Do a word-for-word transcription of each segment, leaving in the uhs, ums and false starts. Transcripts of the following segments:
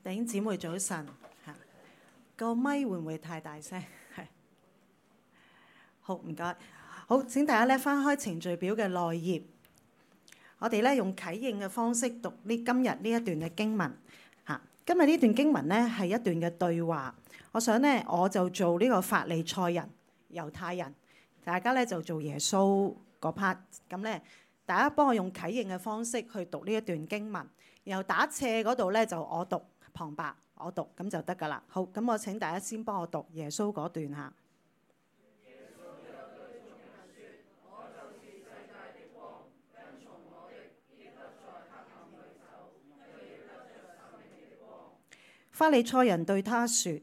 弟兄姊妹早晨嚇，個咪會唔會太大聲？係好唔該，好請大家咧翻開程序表嘅內頁，我哋咧用啟應嘅方式讀呢今日呢一段嘅經文嚇。今日呢段經文咧係一段嘅對話，我想咧我就做呢個法利賽人、猶太人，大家咧就做耶穌嗰 part。咁咧大家幫我用啟應嘅方式去讀呢一段經文，然後打斜嗰度咧就我讀。旁白我讀咁就得㗎啦。好，咁我請大家先幫我讀耶穌嗰段嚇。耶穌又對眾人說：我就是世界的光，跟從我的，必不在黑暗裏走，卻要得着生命的光。法利賽人對他說：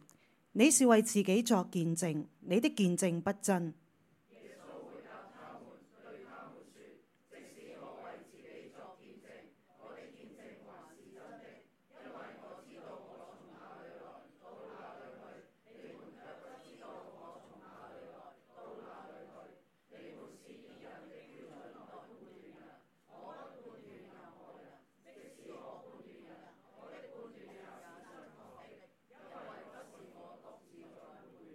你是為自己作見證，你的見證不真。耶穌回答他們，對他們說：即使我為自己作見證，我的見證還是真的。因為我知道我從哪裏來，到哪裏去，你們卻不知道我從哪裏來，到哪裏去。你們是以人的標準來判斷人，我不判斷任何人。即使我判斷人，我的判斷也是準確的，因為不是我獨自在判斷，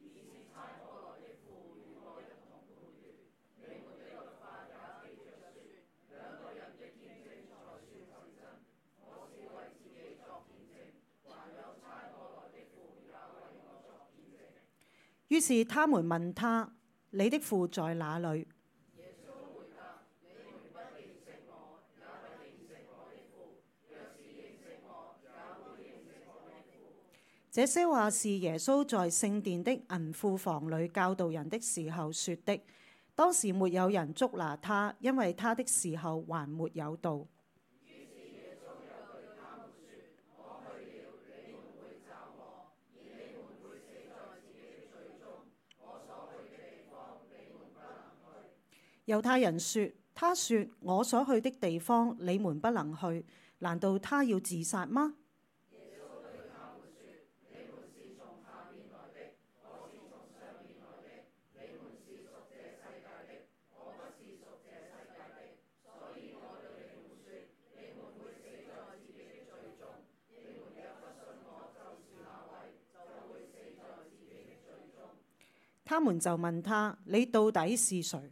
而是差我來的父與我一同判斷。你們的律法也記着說，兩個人的見證才算是真。我是為自己作見證，還有差我來的父也為我作見證。於是他們問他：你的父在哪裏？耶穌回答：你們不認識我，也不認識我的父。若是認識我，也會認識我的父。這些話是耶穌在聖殿的銀庫房裏教導人的時候說的。當時沒有人捉拿他，因為他的時候還沒有到。於是耶穌又對他們說：我去了，你們會找我，而你們會死在自己的罪中。我所去的地方，你們不能去。猶太人說：他說我所去的地方你們不能去，難道他要自殺嗎？耶穌對他們說：你們是從下面來的，我是從上面來的。你們是屬這世界的，我不是屬這世界的。所以我對你們說，你們會死在自己的罪中。你們若不信我就是那位，就會死在自己的罪中。他們就問他：你到底是誰？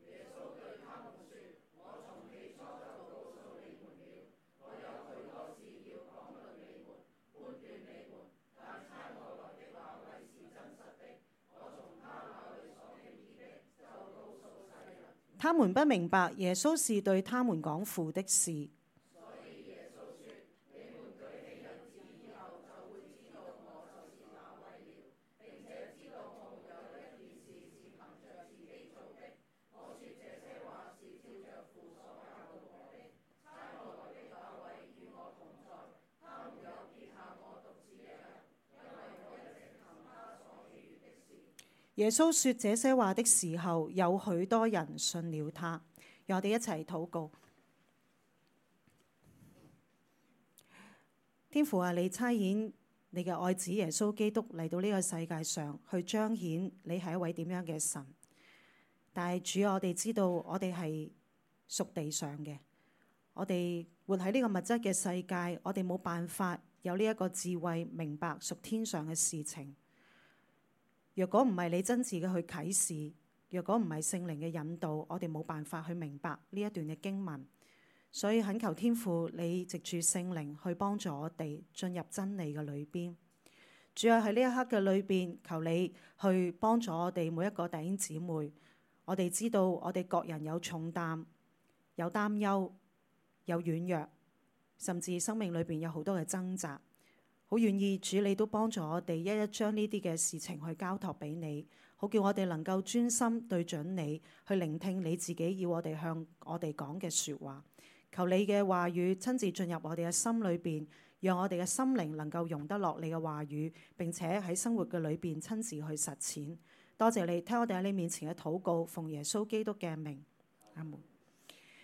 耶穌對他們說：我從起初就告訴你們了，我有許多事要講論你們，判斷你們，但差我來的那位是真實的，我從他那裏所聽見的，就告訴世人。他們不明白耶穌是對他們講父的事。所以耶穌說：你們舉起人子以後，就會知道我就是那位了，並且知道沒有一件事是憑着自己做的。我說這些話是照着父所教導我的，差我來的那位與我同在，他沒有撇下我獨自一人，因為我一直行他所喜悅的事。耶穌說這些話的時候，有許多人信了他。讓我哋一齊禱告。天父啊，你差遣你嘅愛子耶穌基督嚟到呢個世界上，去彰顯你係一位點樣嘅神。但係主，我哋知道我哋係屬地上嘅，我哋活喺呢個物質嘅世界，我哋冇辦法有呢一個智慧明白屬天上嘅事情。若果唔係你真摯嘅去啟示，若果唔係聖靈嘅引導，我哋冇辦法去明白呢一段嘅經文。所以懇求天父，你藉住聖靈去幫助我哋進入真理嘅裏邊。主要喺呢一刻嘅裏邊，求你去幫助我哋每一個弟兄姊妹。我哋知道我哋各人有重擔、有擔憂、有軟弱，甚至生命裏邊有好多嘅掙扎。好願意主你都幫助我哋一一將呢啲嘅事情去交託俾你，好叫我哋能夠專心對準你，去聆聽你自己要我哋向我哋講嘅說話。求你嘅話語親自進入我哋嘅心裏邊，讓我哋嘅心靈能夠容得落你嘅話語，並且喺生活嘅裏邊親自去實踐。多謝你聽我哋喺你面前嘅禱告，奉耶穌基督嘅名，阿門。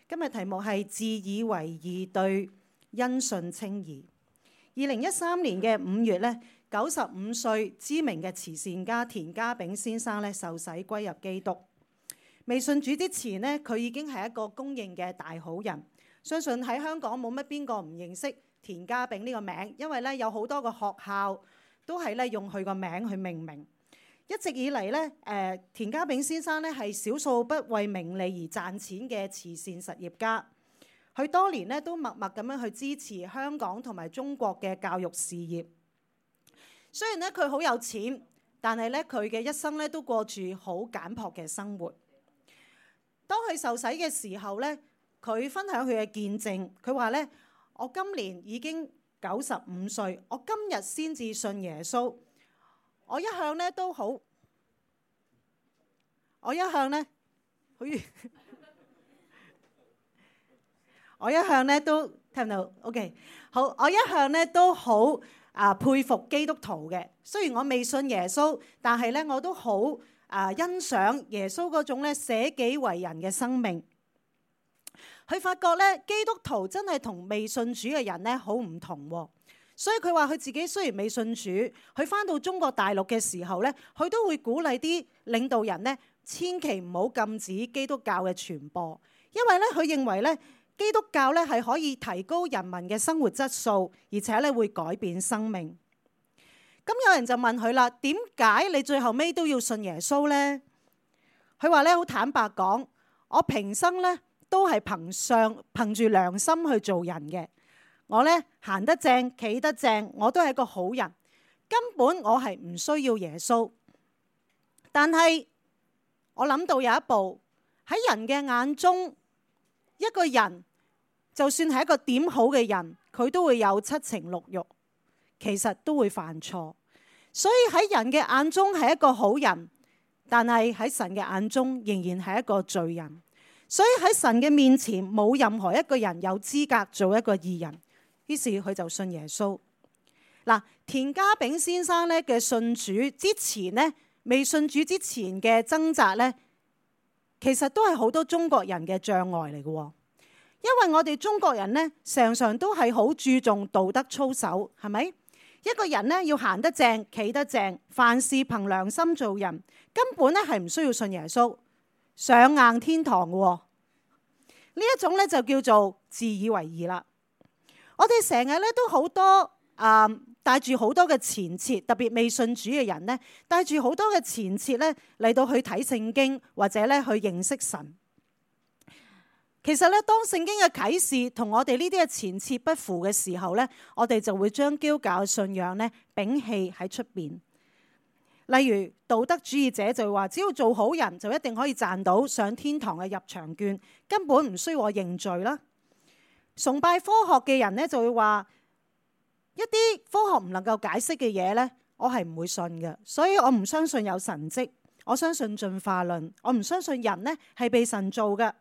今日題目係自以為義對因信稱義。二零一三年嘅五月咧，九十五歲知名嘅慈善家田家炳先生咧受洗歸入基督。未信主之前咧，佢已經係一個公認嘅大好人。相信喺香港冇乜邊個唔認識田家炳呢個名，因為咧有好多個學校都係咧用佢個名去命名。一直以嚟咧，誒田家炳先生咧係少數不為名利而賺錢嘅慈善實業家。佢多年咧都默默咁樣去支持香港同埋中國嘅教育事業。雖然咧佢好有錢，但係咧佢嘅一生咧都過住好簡樸嘅生活。當佢受洗嘅時候咧，佢分享佢嘅見證，佢話咧：我今年已經九十五歲，我今日先至信耶穌。我一向咧都好，我一向咧好似，我一向咧都聽到 OK 好，我一向咧都好啊佩服基督徒嘅。雖然我未信耶穌，但係咧我都好啊欣賞耶穌嗰種咧捨己為人嘅生命。佢發覺咧基督徒真係同未信主嘅人咧好唔同喎。所以佢話佢自己雖然未信主，佢返到中國大陸嘅時候咧，佢都會鼓勵啲領導人咧，千祈唔好禁止基督教嘅傳播，因為咧佢認為咧基督教咧係可以提高人民嘅生活質素，而且咧會改變生命。咁有人就問佢啦：點解你最後尾都要信耶穌咧？佢話咧好坦白講，我平生咧都係憑上憑住良心去做人嘅。我咧行得正，企得正，我都係一個好人。根本我係唔需要耶穌。但係我諗到有一步，喺人嘅眼中，一個人就算係一個點好嘅人，佢都會有七情六慾，其實都會犯錯。所以喺人嘅眼中係一個好人，但係喺神嘅眼中仍然係一個罪人。所以喺神嘅面前，冇任何一個人有資格做一個義人。於是佢就信耶穌。嗱，田家炳先生咧嘅信主之前咧，未信主之前嘅掙扎咧，其實都係好多中國人嘅障礙嚟嘅。因為我哋中國人咧，常常都係好注重道德操守，係咪？一個人咧要行得正，企得正，凡事憑良心做人，根本咧係唔需要信耶穌，上硬天堂嘅。呢一種咧就叫做自以為義啦。我哋成日咧都好多啊，帶住好多嘅前設，特別未信主嘅人咧，帶住好多嘅前設咧嚟到去睇聖經，或者咧去認識神。其實咧，當聖經嘅啟示同我哋呢啲嘅前設不符嘅時候咧，我哋就會將基督教嘅信仰咧摒棄喺出邊。例如道德主義者就會話，只要做好人就一定可以賺到上天堂嘅入場券，根本唔需要我認罪啦。崇拜科學嘅人咧就會話，一啲科學唔能夠解釋嘅嘢咧，我係唔會信嘅，所以我唔相信有神蹟，我相信進化論，我唔相信人咧係被神造嘅。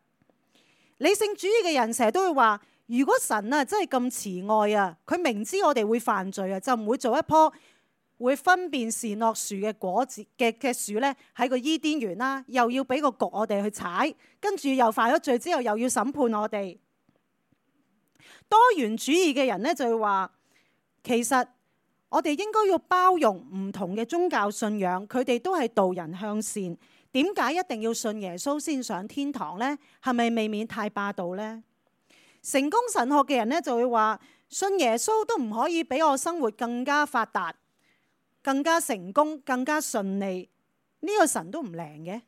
理性主義嘅人成日都會話，如果神啊真係咁慈愛啊，佢明知我哋會犯罪啊，就唔會做一棵會分辨善惡樹嘅果子嘅嘅樹咧喺個伊甸園啦，又要俾個局我哋去踩，跟住又犯咗罪之後又要審判我哋。多元主義嘅人咧就會話，其實我哋應該要包容唔同嘅宗教信仰，佢哋都係導人向善。點解一定要信耶穌先上天堂呢？係咪未免太霸道呢？成功神學嘅人咧就會話，信耶穌都唔可以俾我生活更加發達、更加成功、更加順利。呢個神都唔靈嘅。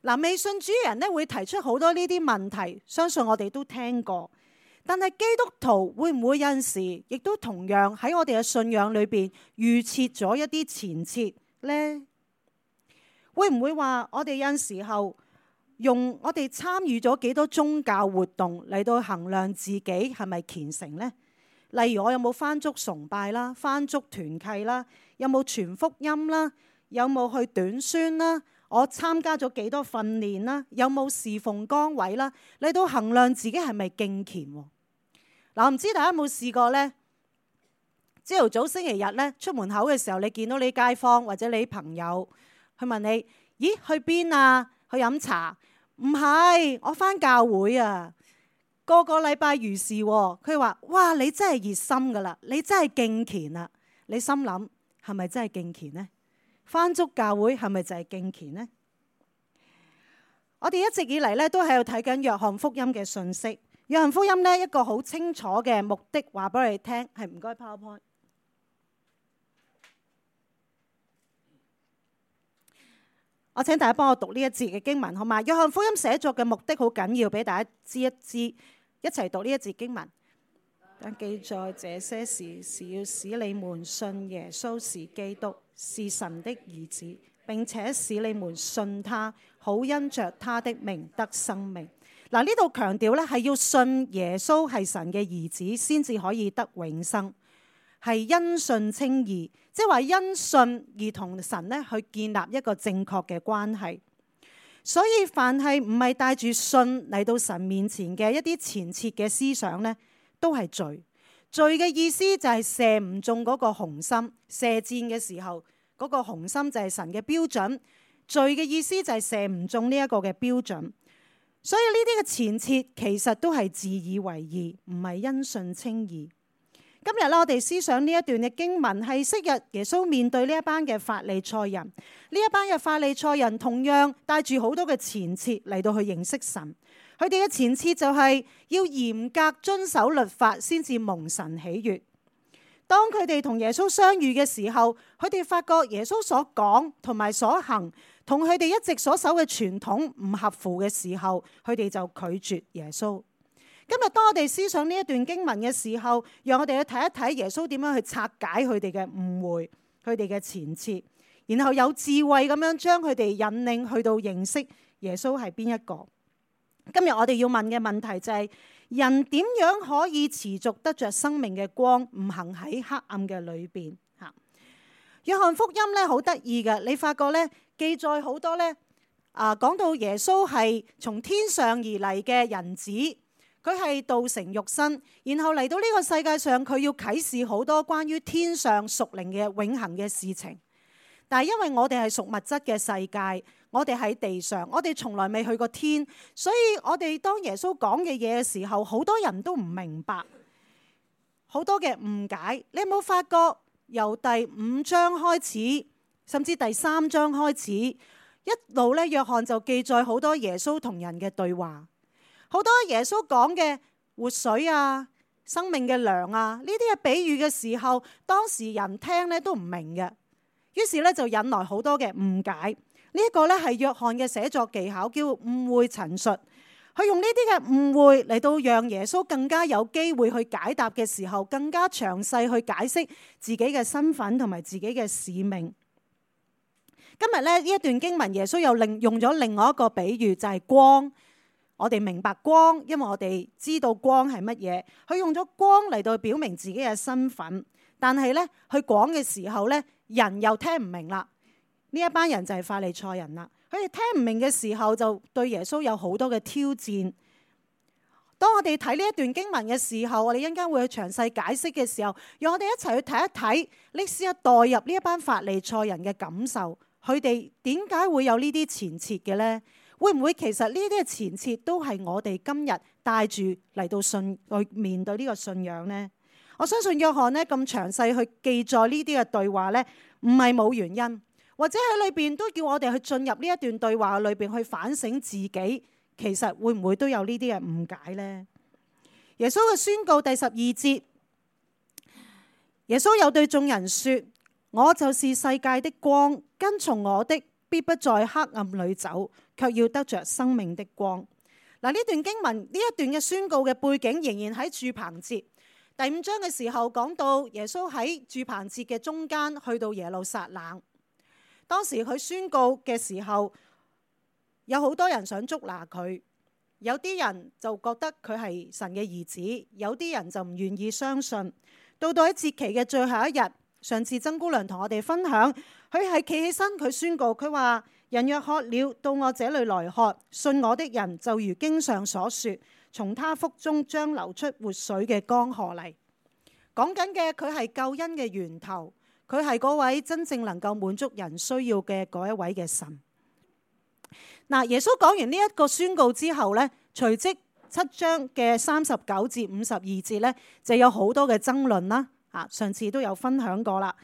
嗱，未信主嘅人咧會提出好多呢啲問題，相信我哋都聽過。但係基督徒會唔會有陣時亦都同樣喺我哋嘅信仰裏邊預設咗一啲前設呢？會唔會話我哋有陣時候用我哋參與咗幾多宗教活動嚟到衡量自己係咪虔誠呢？例如我有冇返足崇拜啦，返足團契啦，有冇傳福音啦，有冇去短宣啦，我參加咗幾多訓練啦，有冇侍奉崗位啦，嚟到衡量自己係咪敬虔喎？嗱，我唔知大家有冇試過呢？朝頭早星期日咧出門口嘅時候，你見到你街坊或者你朋友，去問你：咦，去邊啊？去飲茶？唔係，我返教會啊！個個禮拜如是喎。佢話：哇，你真係熱心噶啦，你真係敬虔啦！你心諗係咪真係敬虔呢？返足教會係咪就係敬虔呢？我哋一直以嚟咧都喺度睇緊約翰福音嘅信息。約翰福音呢，一個好清楚嘅目的話俾我哋聽，係唔該 PowerPoint。我請大家幫我讀呢一節嘅經文，好嘛？約翰福音寫作嘅目的好緊要，俾大家知一知，一齊讀呢一節經文。但記載這些事是要使你們信耶穌是基督，是神的兒子，並且使你們信他，好因着他的名得生命。嗱，呢度強調咧係要信耶穌係神嘅兒子，先至可以得永生，係因信稱義，即係話因信而同神咧去建立一個正確嘅關係。所以凡係唔係帶住信嚟到神面前嘅一啲前設嘅思想咧，都係罪。罪嘅意思就係射唔中嗰個紅心，射箭嘅時候嗰個紅心就係神嘅標準。罪嘅意思就係射唔中呢一個嘅標準。所以呢啲嘅前設其實都係自以為義，唔係因信稱義。今日咧，我哋思想呢一段嘅經文係昔日耶穌面對呢一班嘅法利賽人，呢一班嘅法利賽人同樣帶住好多嘅前設嚟到去認識神。佢哋嘅前設就係要嚴格遵守律法先至蒙神喜悅。當佢哋同耶穌相遇嘅時候，佢哋發覺耶穌所講同埋所行同佢哋一直所守嘅傳統唔合乎嘅時候，佢哋就拒絕耶穌。今日當我哋思想呢一段經文嘅時候，讓我哋去睇一睇耶穌點樣去拆解佢哋嘅誤會、佢哋嘅前設，然後有智慧咁樣將佢哋引領去到認識耶穌係邊一個。今日我哋要問嘅問題就係：人點樣可以持續得着生命嘅光，唔行喺黑暗嘅裏邊？吓，約翰福音咧好得意嘅，你發覺咧記載好多咧啊，講到耶穌係從天上而嚟嘅人子。佢係道成肉身，然後嚟到呢個世界上，佢要啟示好多關於天上屬靈嘅永恆嘅事情。但係因為我哋係屬物質嘅世界，我哋喺地上，我哋從來未去過天，所以我哋當耶穌講嘅嘢嘅時候，好多人都唔明白，好多嘅誤解。你有冇發覺由第五章開始，甚至第三章開始，一路咧約翰就記載好多耶穌同人嘅對話。好多耶穌講嘅活水啊、生命嘅糧啊，呢啲嘅比喻嘅時候，當時人聽咧都唔明嘅，於是咧就引來好多嘅誤解。呢一個咧係約翰嘅寫作技巧，叫誤會陳述。佢用呢啲嘅誤會嚟到讓耶穌更加有機會去解答嘅時候，更加詳細去解釋自己嘅身份同埋自己嘅使命。今日咧呢一段經文，耶穌又另用咗另外一個比喻，就係光。我哋明白光，因為我哋知道光係乜嘢。佢用咗光嚟到表明自己嘅身份，但係咧，佢講嘅時候咧，人又聽唔明啦。呢一班人就係法利賽人啦。佢哋聽唔明嘅時候，就對耶穌有好多嘅挑戰。當我哋睇呢一段經文嘅時候，我哋一陣間會去詳細解釋嘅時候，讓我哋一齊去睇一睇，你試下代入呢一班法利賽人嘅感受，佢哋點解會有呢啲前設嘅咧？會唔會其實呢啲嘅前設都係我哋今日帶住嚟到信去面對呢個信仰呢？我相信約翰呢咁詳細去記載呢啲嘅對話呢，唔係冇原因，或者喺裏邊都叫我哋去進入呢一段對話裏邊去反省自己，其實會唔會都有呢啲嘅誤解呢？耶穌嘅宣告第十二節，耶穌又對眾人說：我就是世界的光，跟從我的必不在黑暗裏走，卻要得着生命的光。嗱，呢段經文呢一段嘅宣告嘅背景仍然喺住棚節第五章嘅時候，講到耶穌喺住棚節嘅中間去到耶路撒冷。當時佢宣告嘅時候，有好多人想捉拿佢，有啲人就覺得佢係神嘅兒子，有啲人就唔願意相信。到到喺節期嘅最後一日，上次曾姑娘同我哋分享，佢係企起身，佢宣告，佢話：人若渴了，到我這裏來喝，信我的人就如經上所說，從他腹中將流出活水嘅江河嚟。講緊嘅佢係救恩嘅源頭，佢係嗰位真正能夠滿足人需要嘅嗰一位嘅神。嗱，耶穌講完呢一個宣告之後呢，隨即七章嘅三十九至五十二節呢，就有好多嘅爭論啦。啊，上次都有分享過啦。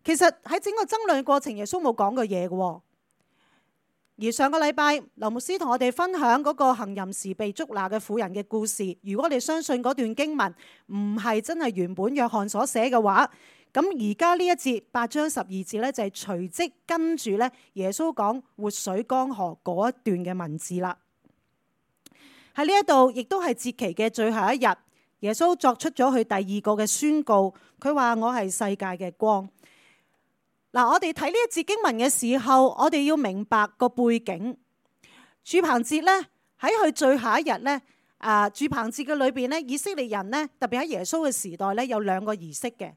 其實喺整個爭論嘅過程，耶穌冇講過嘢嘅。而上個禮拜劉牧師同我哋分享嗰個行淫時被捉拿嘅婦人嘅故事。如果你相信嗰段經文唔係真係原本約翰所寫嘅話，咁而家呢一節八章十二節咧，就係隨即跟住咧耶穌講活水江河嗰一段嘅文字啦。喺呢一度亦都係節期嘅最後一日，耶穌作出咗佢第二個嘅宣告，佢話我係世界嘅光。嗱，我哋睇呢一節經文嘅時候，我哋要明白個背景。住棚節咧喺佢最後一日咧，啊住棚節嘅裏邊咧，以色列人咧特別喺耶穌嘅時代咧有兩個儀式嘅。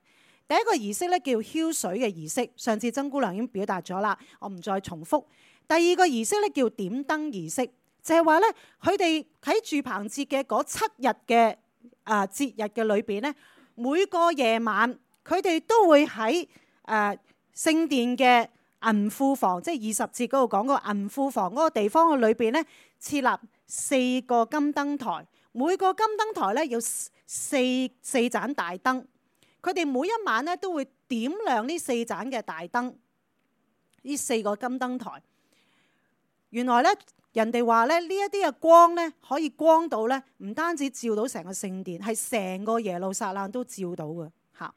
第一個儀式咧叫澆水嘅儀式，上次曾姑娘已經表達咗啦，我唔再重複。第二個儀式咧叫點燈儀式，就係話咧佢哋喺住棚節嘅嗰七日嘅啊節日嘅裏邊咧，每個夜晚佢哋都會喺誒聖殿嘅銀庫房，即係二十節嗰度講個銀庫房嗰個地方嘅裏邊咧，設立四個金燈台，每個金燈台咧有四四盞大燈，佢哋每一晚咧都會點亮呢四盞嘅大燈，呢四個金燈台。原來咧人哋話咧呢一啲嘅光咧可以光到咧，唔單止照到成個聖殿，係成個耶路撒冷都照到嘅嚇。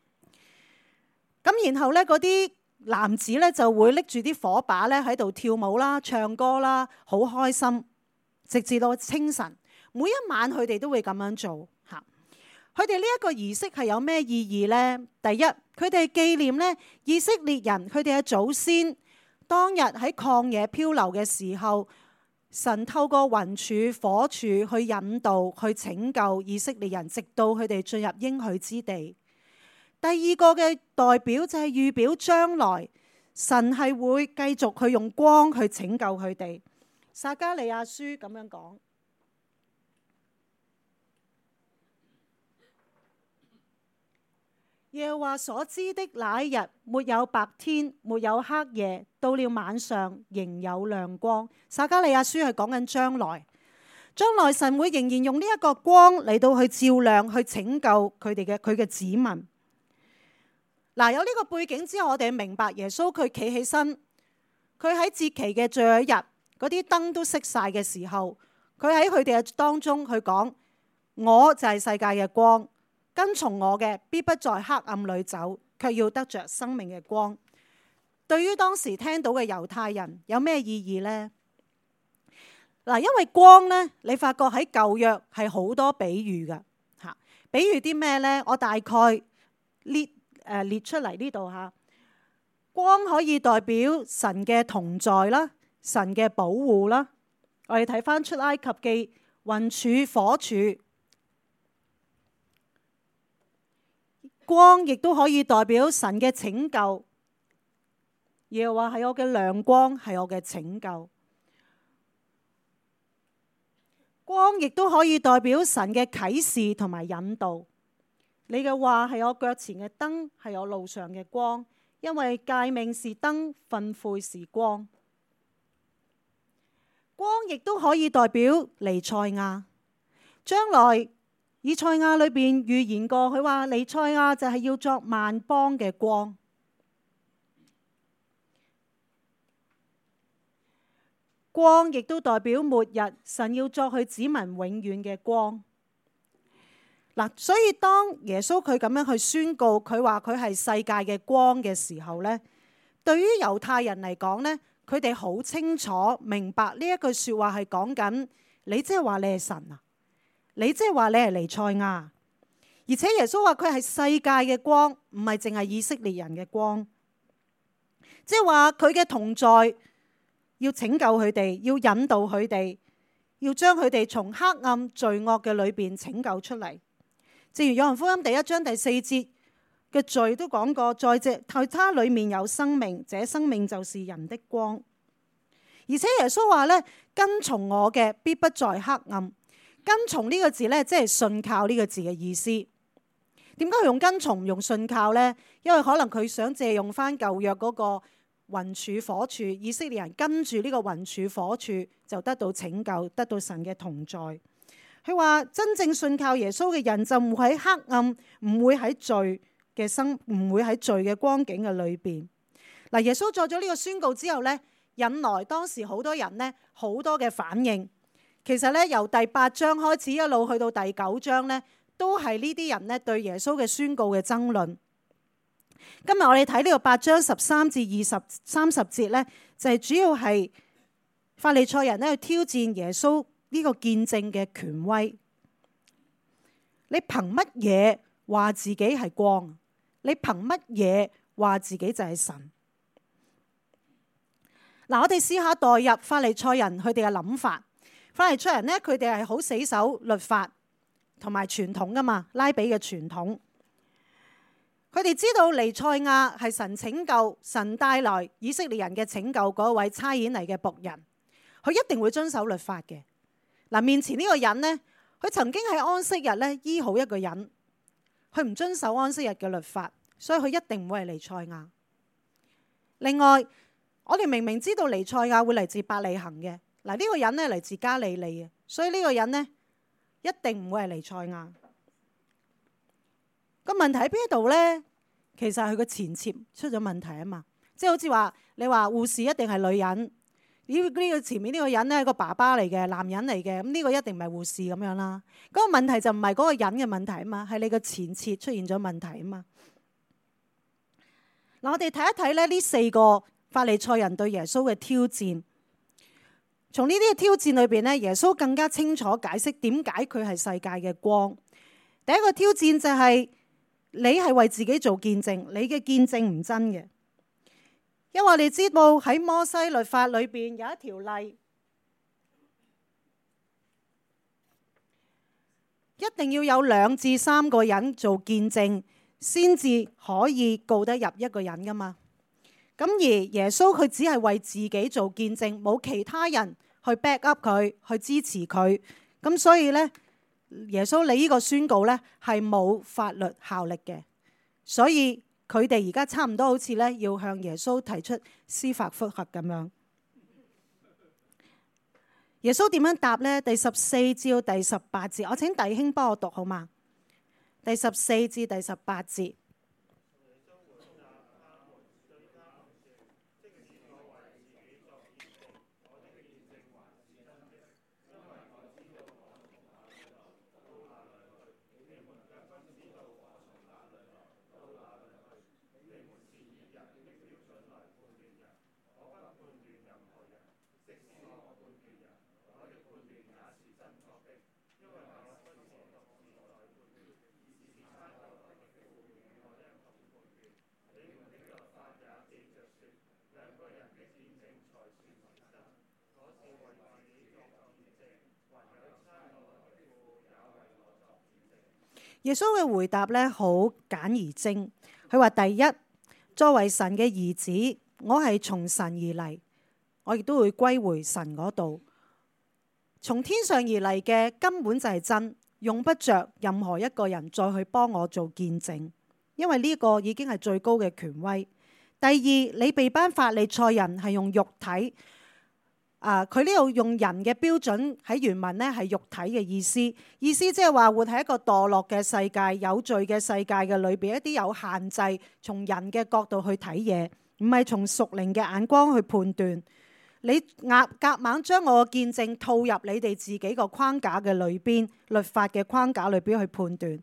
咁然後咧嗰啲男子咧就會拎住啲火把咧喺度跳舞啦、唱歌啦，好開心，直至到清晨。每一晚佢哋都會咁樣做嚇。佢哋呢一個儀式係有咩意義呢？第一，佢哋紀念咧以色列人佢哋嘅祖先當日喺曠野漂流嘅時候，神透過雲柱、火柱去引導、去拯救以色列人，直到佢哋進入應許之地。第二個嘅代表就係預表將來，神係會繼續去用光去拯救佢哋。撒迦利亞書咁樣講：耶和華所知的那一日，沒有白天，沒有黑夜，到了晚上仍有亮光。撒迦利亞書係講緊將來，將來神會仍然用呢一個光嚟到去照亮、去拯救佢哋嘅佢嘅子民。嗱，有呢個背景之後，我哋明白耶穌佢企起身，佢喺節期嘅最後一日，嗰啲燈都熄晒嘅時候，佢喺佢哋嘅當中，佢講：我就係世界嘅光，跟從我嘅必不在黑暗裏走，卻要得着生命嘅光。對於當時聽到嘅猶太人有咩意義呢？嗱，因為光呢，你發覺喺舊約係好多比喻㗎嚇，比喻啲咩呢？我大概列。誒列出嚟呢度嚇，光可以代表神嘅同在啦，神嘅保護啦。我哋睇翻出埃及記，雲柱、火柱，光亦都可以代表神嘅拯救。耶和華係我嘅亮光，係我嘅拯救。光亦都可以代表神嘅啟示同埋引導。你嘅話係我腳前嘅燈，係我路上嘅光，因為誡命是燈，訓誨是光。光亦都可以代表彌賽亞。將來以賽亞裏邊預言過，佢話彌賽亞就係要作萬邦嘅光。光亦都代表末日，神要作佢子民永遠嘅光。嗱，所以當耶穌佢咁樣去宣告，佢話佢係世界嘅光嘅時候呢，對於猶太人嚟講呢，佢哋好清楚明白呢一句說話係講緊你，即係話你係神啊，你即係話你係彌賽亞，而且耶穌話佢係世界嘅光，唔係淨係以色列人嘅光，即係話佢嘅同在要拯救佢哋，要引導佢哋，要將佢哋從黑暗罪惡嘅裏邊拯救出嚟。正如約翰福音第一章第四節嘅罪都講過，在這在他裏面有生命，這生命就是人的光。而且耶穌話咧，跟從我嘅必不在黑暗。跟從呢個字咧，即係信靠呢個字嘅意思。點解佢用跟從唔用信靠呢？因為可能佢想借用翻舊約嗰個雲柱火柱，以色列人跟住呢個雲柱火柱就得到拯救，得到神嘅同在。佢話真正信靠耶穌嘅人就唔會喺黑暗，唔會喺罪嘅生，唔會喺罪嘅光景嘅裏邊。嗱，耶穌作咗呢個宣告之後呢，引來當時好多人呢好多嘅反應。其實咧，由第八章開始一路去到第九章咧，都係呢啲人咧對耶穌嘅宣告嘅爭論。今日我哋睇呢個八章十三至二十三十節咧，就係主要係法利賽人咧去挑戰耶穌呢個見證嘅權威。你憑乜嘢話自己係光？你憑乜嘢話自己就係神？嗱，我哋試下代入法利賽人佢哋嘅諗法。法利賽人呢，佢哋係好死守律法同埋傳統噶嘛，拉比嘅傳統。佢哋知道彌賽亞係神拯救、神帶來以色列人嘅拯救嗰位差遣嚟嘅僕人，佢一定會遵守律法嘅。嗱，面前呢個人呢，佢曾經喺安息日咧醫好一個人，佢唔遵守安息日嘅律法，所以佢一定唔會係彌賽亞。另外，我哋明明知道彌賽亞會嚟自伯利恆嘅。嗱，呢個人咧嚟自加利利嘅，所以呢個人呢，一定唔會係彌賽亞。個問題喺邊度呢？其實係佢個前設出咗問題啊嘛，即係好似話你話護士一定係女人，呢呢個前面呢個人咧係個爸爸嚟嘅，男人嚟嘅，咁呢個一定唔係護士咁樣啦。嗰個問題就唔係嗰個人嘅問題啊嘛，係你個前設出現咗問題啊嘛。嗱，我哋睇一睇咧呢四個法利賽人對耶穌嘅挑戰。從呢啲嘅挑戰裏邊咧，耶穌更加清楚解釋點解佢係世界嘅光。第一個挑戰就係你係為自己做見證，你嘅見證唔真嘅。因為我哋知道喺摩西律法裏邊有一條例，一定要有兩至三個人做見證，先至可以告得入一個人噶嘛。咁而耶穌佢只係為自己做見證，冇其他人去 back up 佢，去支持佢。咁所以呢，耶穌你呢個宣告呢係冇法律效力嘅。所以佢哋而家差唔多好似呢要向耶穌提出司法覆核咁樣。耶穌點樣答呢？第十四至到第十八節，我請弟兄幫我讀好嗎？第十四至第十八節。耶穌嘅回答咧好簡而精，佢話：第一，作為神嘅兒子，我係從神而嚟，我亦都會歸回神嗰度。從天上而嚟嘅根本就係真，用不着任何一個人再去幫我做見證，因為呢個已經係最高嘅權威。第二，你被班法利賽人係用肉體。啊！佢呢度用人嘅標準喺原文呢係肉體嘅意思，意思即係話活喺一個墮落嘅世界、有罪嘅世界嘅裏邊，一啲有限制，從人嘅角度去睇嘢，唔係從屬靈嘅眼光去判斷。你夾夾硬將我嘅見證套入你哋自己個框架嘅裏邊，律法嘅框架裏邊去判斷。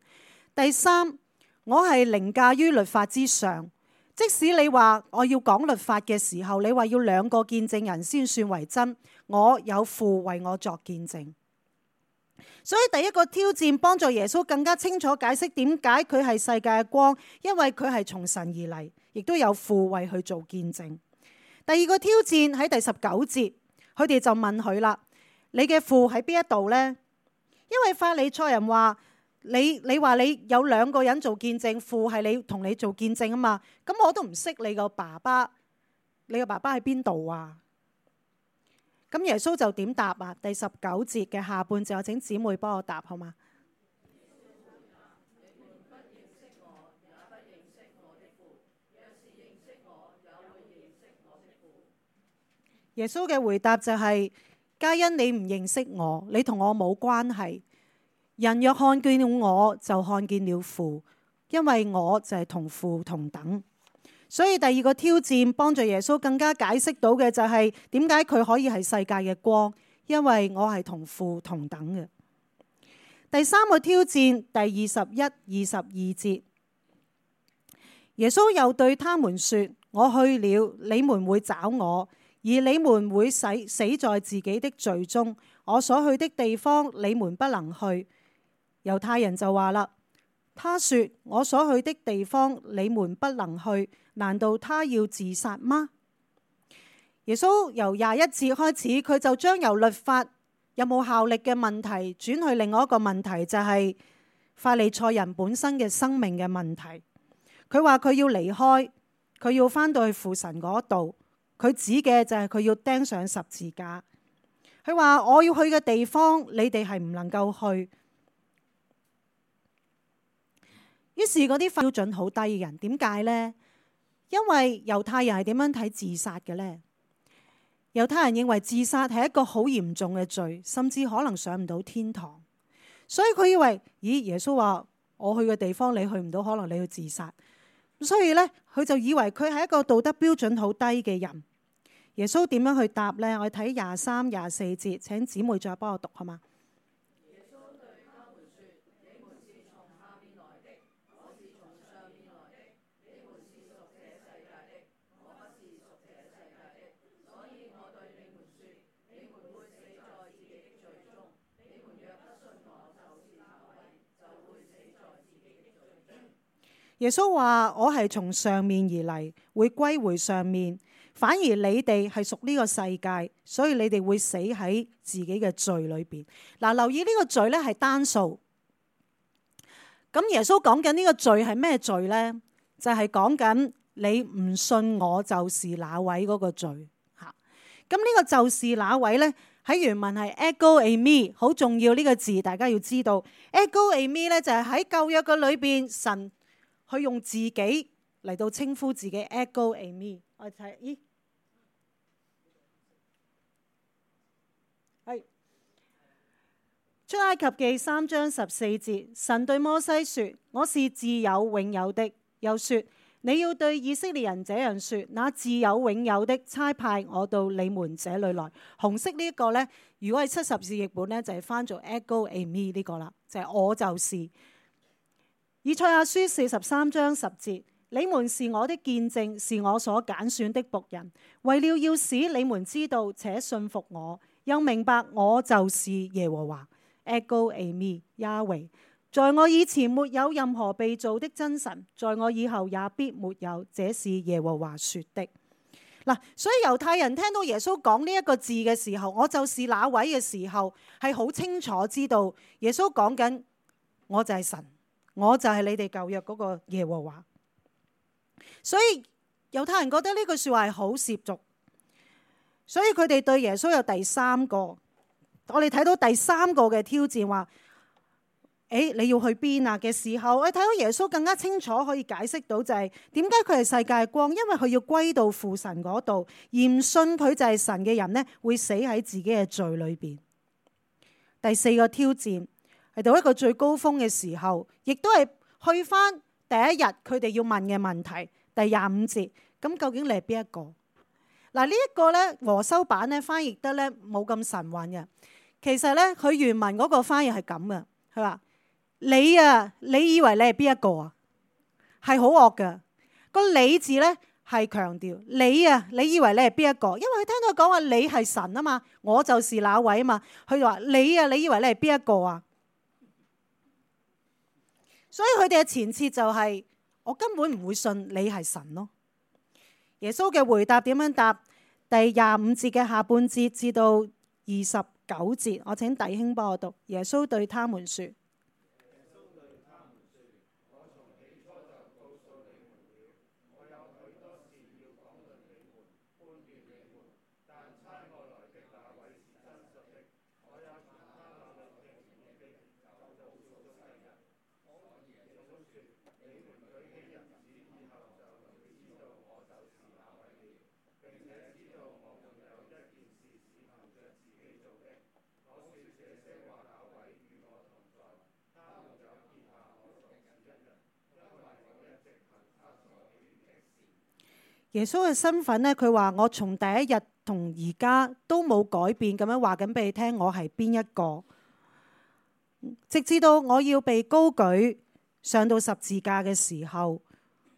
第三，我係凌駕於律法之上。即使你話我要講律法嘅時候，你話要兩個見證人先算為真，我有父為我作見證。所以第一個挑戰幫助耶穌更加清楚解釋點解佢係世界嘅光，因為佢係從神而嚟，亦都有父為佢做見證。第二個挑戰喺第十九節，佢哋就問佢啦：你嘅父喺邊一度呢？因為法利賽人話。你你話你有兩個人做見證，父係你同你做見證啊嘛，咁我都唔識你個爸爸，你個爸爸喺邊度啊？咁耶穌就點答啊？第十九節嘅下半節，我請姊妹幫我答好嗎？耶穌嘅回答就係：皆因你唔認識我，你同我冇關係。人若看見了我，就看見了父，因為我就係同父同等。所以第二個挑戰幫助耶穌更加解釋到嘅就係點解佢可以係世界嘅光，因為我係同父同等嘅。第三個挑戰，第二十一、二十二節，耶穌又對他們說：我去了，你們會找我，而你們會死死在自己的罪中。我所去的地方，你們不能去。猶太人就話啦，他說我所去的地方，你們不能去，難道他要自殺嗎？耶穌由廿一節開始，佢就將由律法有冇效力嘅問題轉去另外一個問題，就係法利賽人本身嘅生命嘅問題。佢話佢要離開，佢要返到去父神嗰度，佢指嘅就係佢要釘上十字架。佢話我要去嘅地方，你哋係唔能夠去。於是嗰啲標準好低嘅人，點解呢？因為猶太人係點樣睇自殺嘅呢？猶太人認為自殺係一個好嚴重嘅罪，甚至可能上唔到天堂。所以佢以為，咦，耶穌話我去嘅地方你去唔到，可能你要自殺。所以呢，佢就以為佢係一個道德標準好低嘅人。耶穌點樣去答呢？我睇廿三、廿四節，請姊妹再幫我讀好嗎？耶穌對他們說：你們是從下面來的，我是從上面來的。你們是屬這世界的，我不是屬這世界的。所以我對你們說，你們會死在自己的罪中。你們若不信我就是那位，就會死在自己的罪中。耶穌話：我係從上面而嚟，會歸回上面。反而你哋係屬呢個世界，所以你哋會死喺自己嘅罪裏邊。嗱，留意呢個罪咧係單數。咁耶穌講緊呢個罪係咩罪呢？就係講緊你唔信我就是那位嗰個罪吓。咁呢個就是那位呢，喺原文係 ego eimi， 好重要呢個字，大家要知道。ego eimi 咧就係喺舊約嘅裏邊，神去用自己嚟到稱呼自己 ego eimi。我睇，咦，係出埃及記三章十四節，神對摩西說：我是自有永有的。又說：你要對以色列人這樣說，那自有永有的差派我到你們這裏來。紅色呢一個呢，如果係七十士譯本呢，就係翻做 ego eimi 呢個啦，就係、是、我就是。以賽亞書四十三章十節。你們是我的見證，是我所揀選的僕人，為了要使你們知道且信服我，又明白我就是耶和華。ego eimi Yahweh， 在我以前沒有任何被造的真神，在我以後也必沒有。這是耶和華說的。嗱，所以猶太人聽到耶穌講呢一個字嘅時候，我就是那位嘅時候，係好清楚知道耶穌講緊我就係神，我就係你哋舊約嗰個耶和華。所以猶太人覺得呢句說話係好褻瀆，所以佢哋對耶穌有第三個，我哋睇到第三個嘅挑戰，話：誒，你要去邊啊嘅時候，我哋睇到耶穌更加清楚可以解釋到就係點解佢係世界光，因為佢要歸到父神嗰度，而唔信佢就係神嘅人呢，會死喺自己嘅罪裏邊。第四個挑戰係到一個最高峰嘅時候，亦都係去翻第一日佢哋要問嘅問題。第廿五節，咁究竟你係邊一個？嗱，呢一個咧和修版咧翻譯得咧冇咁神韻嘅。其實咧佢原文嗰個翻譯係咁嘅，佢話你啊，你以為你係邊一個啊？係好惡嘅。個你字咧係強調你啊，你以為你係邊一個？因為佢聽到佢講話你係神啊嘛，我就是那位啊嘛。佢就話你啊，你以為你係邊一個啊？所以佢哋嘅前設就係、是。我根本唔會信你係神咯。耶穌嘅回答點樣答？第廿五節嘅下半節至到二十九節，我請弟兄幫我讀。耶穌對他們說：耶穌嘅身份呢，佢話我從第一日同而家都冇改變，咁樣話緊俾你聽，我係邊一個？直至到我要被高舉上到十字架嘅時候，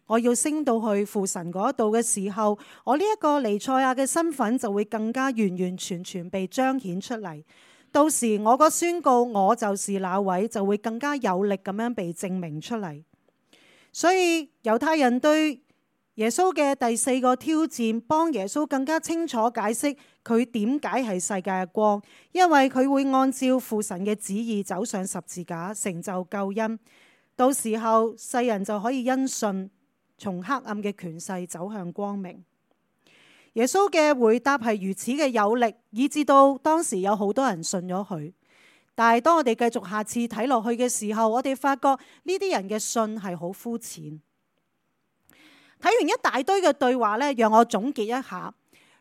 我要升到去父神嗰度嘅時候，我呢一個彌賽亞嘅身份就會更加完完全全被彰顯出嚟。到時我個宣告我就是那位就會更加有力咁樣被證明出嚟。所以猶太人對耶穌嘅第四個挑戰，幫耶穌更加清楚解釋佢點解係世界嘅光，因為佢會按照父神嘅旨意走上十字架，成就救恩。到時候世人就可以因信從黑暗嘅權勢走向光明。耶穌嘅回答係如此嘅有力，以至到當時有好多人信咗佢。但係當我哋繼續下次睇落去嘅時候，我哋發覺呢啲人嘅信係好膚淺。睇完一大堆嘅對話呢，讓我總結一下。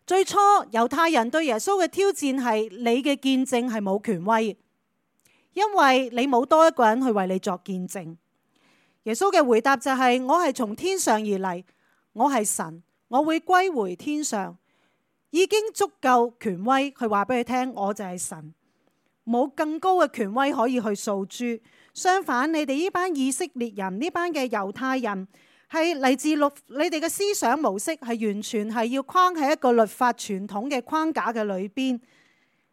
最初猶太人對耶穌嘅挑戰係你嘅見證係冇權威，因為你冇多一個人去為你作見證。耶穌嘅回答就係：我係從天上而嚟，我係神，我會歸回天上，已經足夠權威去話俾佢聽，我就係神，冇更高嘅權威可以去訴諸。相反，你哋呢班以色列人，呢班嘅猶太人，係嚟自律，你哋嘅思想模式係完全係要框喺一個律法傳統嘅框架嘅裏邊。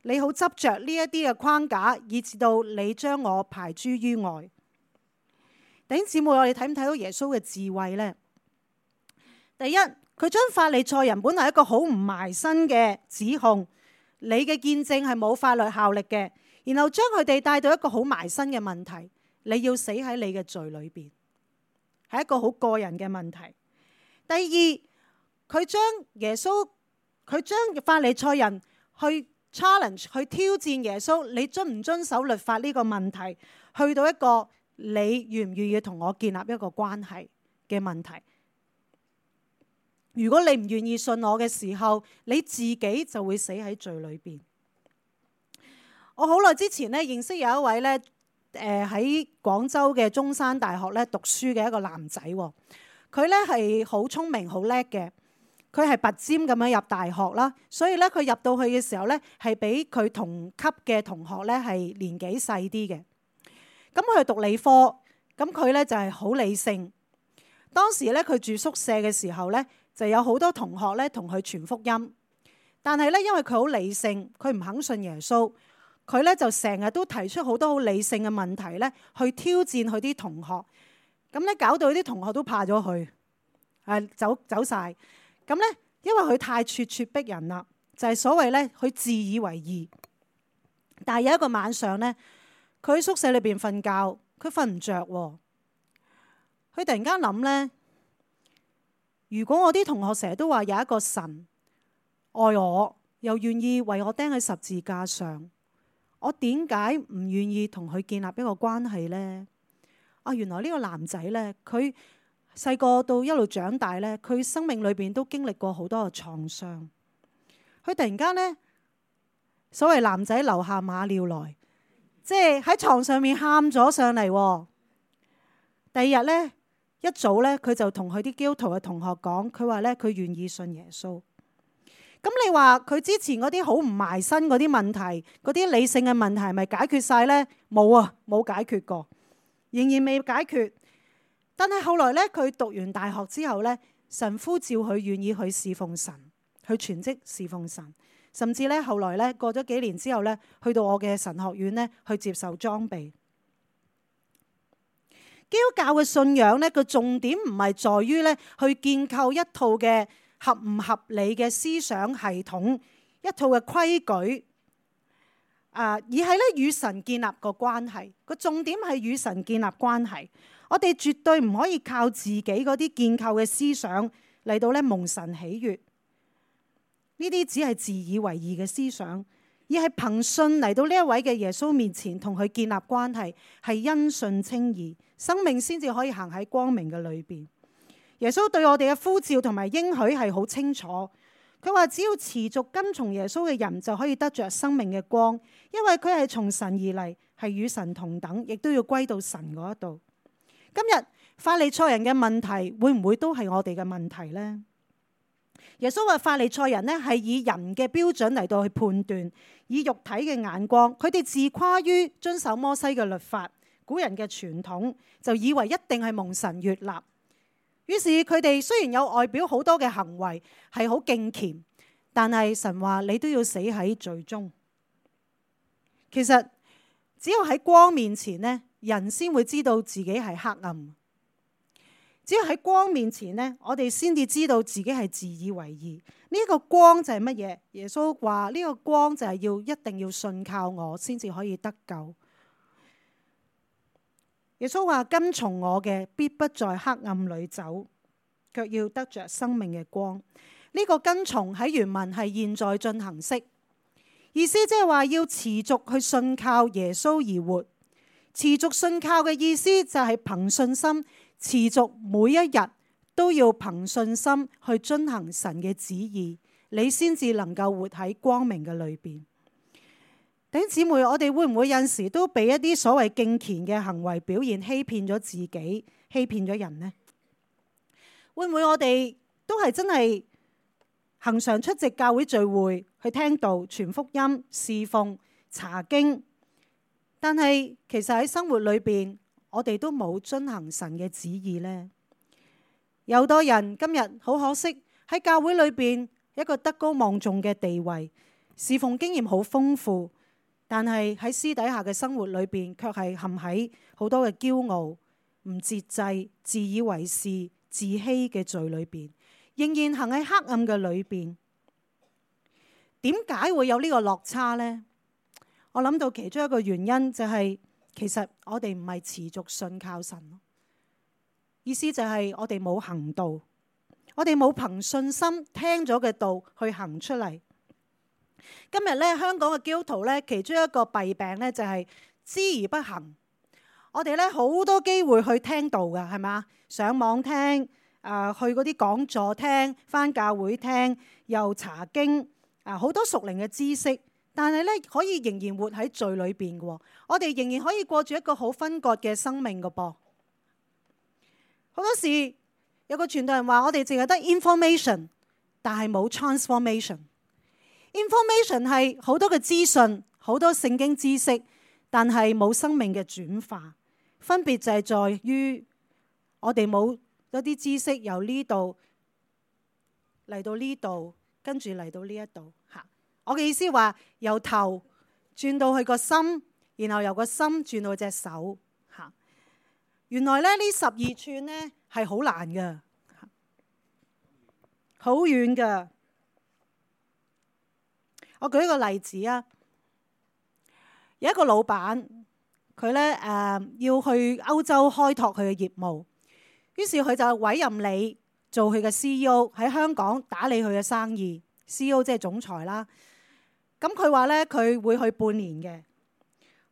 你好執着呢一啲嘅框架，以至到你將我排諸於外。弟兄姊妹，我哋睇唔睇到耶穌嘅智慧呢？第一，佢將法利賽人本來一個好唔埋身嘅指控，你嘅見證係冇法律效力嘅，然後將佢哋帶到一個好埋身嘅問題，你要死喺你嘅罪裏邊。係一個好個人嘅問題。第二，佢將耶穌，佢將法利賽人去 challenge， 去挑戰耶穌，你遵唔遵守律法呢個問題，去到一個你願唔願意同我建立一個關係嘅問題。如果你唔願意信我嘅時候，你自己就會死喺罪裏邊。我好耐之前咧認識有一位咧。誒喺廣州嘅中山大學咧讀書嘅一個男仔，佢咧係好聰明好叻嘅，佢係拔尖咁樣入大學啦，所以咧佢入到去嘅時候咧係比佢同級嘅同學咧係年紀細啲嘅。咁佢係讀理科，咁佢咧就係好理性。當時咧佢住宿舍嘅時候咧，就有好多同學咧同佢傳福音，但係咧因為佢好理性，佢唔肯信耶穌。佢咧就成日都提出好多好理性嘅問題咧，去挑戰佢啲同學。咁咧搞到啲同學都怕咗佢，誒走走曬。咁咧因為佢太咄咄逼人啦，就係所謂咧佢自以為義。但係有一個晚上咧，佢喺宿舍裏邊瞓覺，佢瞓唔着喎。佢突然間諗咧，如果我啲同學成日都話有一個神愛我，又願意為我釘喺十字架上，我點解唔願意同佢建立一個關係呢？啊，原來呢個男仔呢，佢細個到一路長大呢，佢生命裏邊都經歷過好多嘅創傷。佢突然間呢，所謂男仔流下馬尿來，即係喺床上面喊咗上嚟。第二日呢，一早呢，佢就同佢啲基督徒嘅同學講，佢話呢，佢願意信耶穌。咁你話佢之前嗰啲好唔埋身嗰啲問題，嗰啲理性嘅問題係咪解決晒呢？冇啊，冇解決過，仍然未解決。但係後來咧，佢讀完大學之後咧，神呼召佢願意去侍奉神，去全職侍奉神，甚至咧後來咧過咗幾年之後咧，去到我嘅神學院咧去接受裝備。基督教嘅信仰咧，個重點唔係在於咧去建構一套嘅合唔合理嘅思想系統，一套嘅規矩，啊，而係咧與神建立個關係。個重點係與神建立關係。我哋絕對唔可以靠自己嗰啲建構嘅思想嚟到咧蒙神喜悅。呢啲只係自以為義嘅思想，而係憑信嚟到呢一位嘅耶穌面前，同佢建立關係，係因信稱義，生命先至可以行喺光明嘅裏邊。耶穌對我哋嘅呼召同埋應許係好清楚，佢話只要持續跟從耶穌嘅人就可以得着生命嘅光，因為佢係從神而嚟，係與神同等，亦都要歸到神嗰度。今日法利賽人嘅問題會唔會都係我哋嘅問題呢？耶穌話法利賽人呢係以人嘅標準嚟到去判斷，以肉體嘅眼光，佢哋自誇於遵守摩西嘅律法，古人嘅傳統，就以為一定係蒙神悅納。於是佢哋雖然有外表好多嘅行為係好敬虔，但係神話你都要死喺罪中。其實只有喺光面前呢，人先會知道自己係黑暗。只有喺光面前呢，我哋先至知道自己係自以為義。呢個光就係乜嘢？耶穌話呢個光就係要一定要信靠我，先至可以得救。耶穌話跟從我嘅，必不在黑暗裏走，卻要得着生命嘅光。呢個跟從喺原文係現在進行式，意思即係話要持續去信靠耶穌而活。持續信靠嘅意思就係憑信心，持續每一日都要憑信心去遵行神嘅旨意，你先至能夠活喺光明嘅裏邊。弟兄姊妹，我哋會唔會有陣時都俾一啲所謂敬虔嘅行為表現欺騙咗自己，欺騙咗人呢？會唔會我哋都係真係恆常出席教會聚會，去聽道、傳福音、侍奉、查經，但係其實喺生活裏邊，我哋都冇遵行神嘅旨意呢？有好多人今日好可惜喺教會裏邊一個德高望重嘅地位，侍奉經驗好豐富，但係喺私底下嘅生活裏邊，卻係陷喺好多嘅驕傲、唔節制、自以為是、自欺嘅罪裏邊，仍然行喺黑暗嘅裏邊。點解會有呢個落差呢？我諗到其中一個原因就係，其實我哋唔係持續信靠神，意思就係我哋冇行道，我哋冇憑信心聽咗嘅道去行出嚟。今日咧，香港嘅基督徒咧，其中一個弊病咧就係知而不行。我哋咧好多機會去聽道㗎，係嘛？上網聽，誒、呃、去嗰啲講座聽，返教會聽，又查經，啊好多屬靈嘅知識。但係咧，可以仍然活喺罪裏邊嘅，我哋仍然可以過住一個好分割嘅生命嘅噃。好多時有個傳道人話：我哋淨係得 information， 但係冇 transformation。information 係好多嘅資訊，好多聖經知識，但係冇生命嘅轉化。分別就係在於我哋冇一啲知識由呢度嚟到呢度，跟住嚟到呢一度嚇。我嘅意思話，由頭轉到去個心，然後由個心轉到隻手嚇。原來咧呢十二寸呢係好難嘅，好遠嘅。我舉一個例子啊，有一個老闆，佢咧誒要去歐洲開拓佢嘅業務，於是佢就委任你做佢嘅 C E O 喺香港打理佢嘅生意。C E O 即係總裁啦。咁佢話咧，佢會去半年嘅。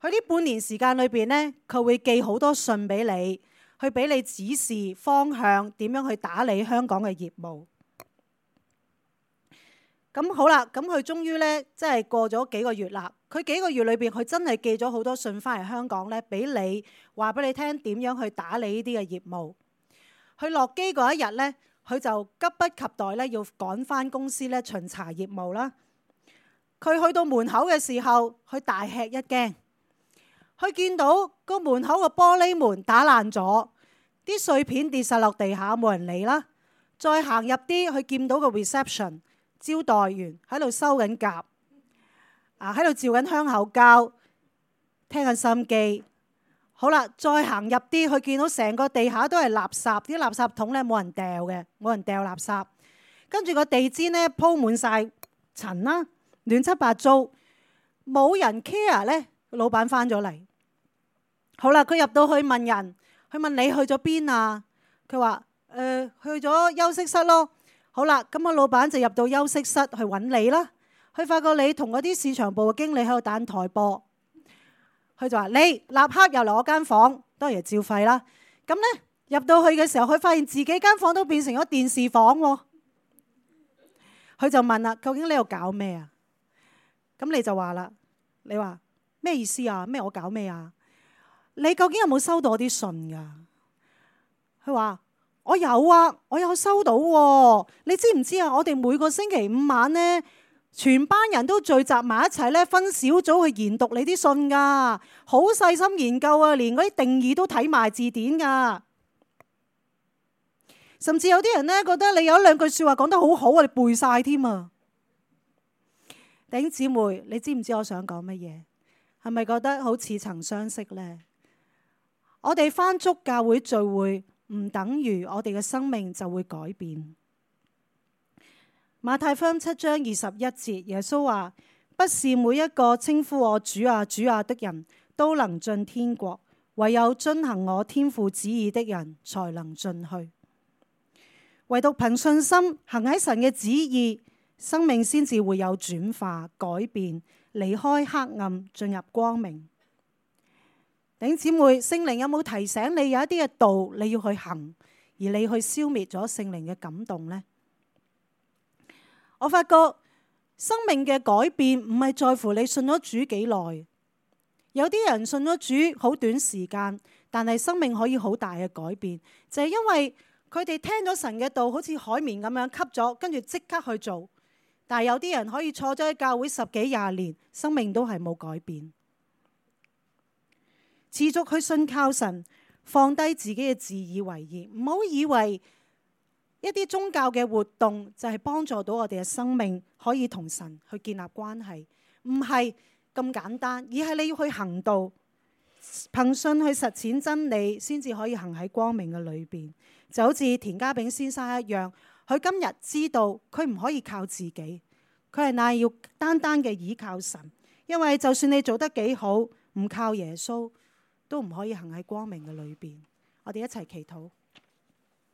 佢呢半年時間裏邊咧，佢會寄好多信俾你，去俾你指示方向，點樣去打理香港嘅業務。咁好啦，咁佢終於咧，即係過咗幾個月啦。佢幾個月裏邊，佢真係寄咗好多信翻嚟香港咧，俾你話俾你聽點樣去打理呢啲嘅業務。佢落機嗰一日咧，佢就急不及待咧，要趕翻公司咧巡查業務啦。佢去到門口嘅時候，佢大吃一驚。佢見到個門口個玻璃門打爛咗，啲碎片跌晒落地下，冇人理啦。再行入啲，佢見到個 reception 招待員喺度收緊夾，啊喺度照緊香口膠，聽緊心機。好啦，再行入啲，佢見到成個地下都係垃圾，啲垃圾桶咧冇人掉嘅，冇人掉垃圾。跟住個地氈咧鋪滿晒塵啦。亂七八糟，冇人 care 咧。老闆翻咗嚟，好啦，佢入到去問人，佢問你去咗邊啊？佢話誒去咗休息室咯。好啦，咁個老闆就入到休息室去揾你啦。佢發覺你同嗰啲市場部嘅經理喺度打台波，佢就話你立刻又嚟我間房，當然係照肺啦。咁咧入到去嘅時候，佢發現自己間房都變成咗電視房喎。佢就問啦：究竟你喺度搞咩啊？咁你就話啦，你話咩意思啊？咩我搞咩啊？你究竟有冇收到我啲信噶？佢話我有啊，我有收到喎。你知唔知啊？我哋每個星期五晚呢，全班人都聚集埋一齊咧，分小組去研讀你啲信噶，好細心研究啊，連嗰啲定義都睇埋字典噶。甚至有啲人咧覺得你有一兩句說話講得好好啊，你背晒添啊！弟兄姊妹，你知唔知我想講乜嘢？係咪覺得好似曾相識呢？我哋返足教會聚會，唔等於我哋嘅生命就會改變。馬太福音七章二十一節，耶穌話：不是每一個稱呼我主啊主啊的人都能進天國，唯有遵行我天父旨意的人才能進去。唯獨憑信心行喺神嘅旨意，生命先至會有轉化改變，離開黑暗進入光明。弟兄姊妹，聖靈有冇提醒你有一啲嘅道你要去行，而你去消滅咗聖靈嘅感動呢？我發覺生命嘅改變唔係在乎你信咗主幾耐，有啲人信咗主好短時間，但係生命可以好大嘅改變，就係因為佢哋聽咗神嘅道，好似海綿咁樣吸咗，跟住即刻去做。但係有啲人可以坐咗喺教會十幾廿年，生命都係冇改變。持續去信靠神，放低自己嘅自以為義，唔好以為一啲宗教嘅活動就係幫助到我哋嘅生命可以同神去建立關係，唔係咁簡單，而係你要去行道，憑信去實踐真理，先至可以行喺光明嘅裏邊。就好似田家炳先生一樣，佢今日知道佢唔可以靠自己，佢係乃要單單嘅倚靠神，因為就算你做得幾好，唔靠耶穌都唔可以行喺光明嘅裏邊。我哋一齊祈禱。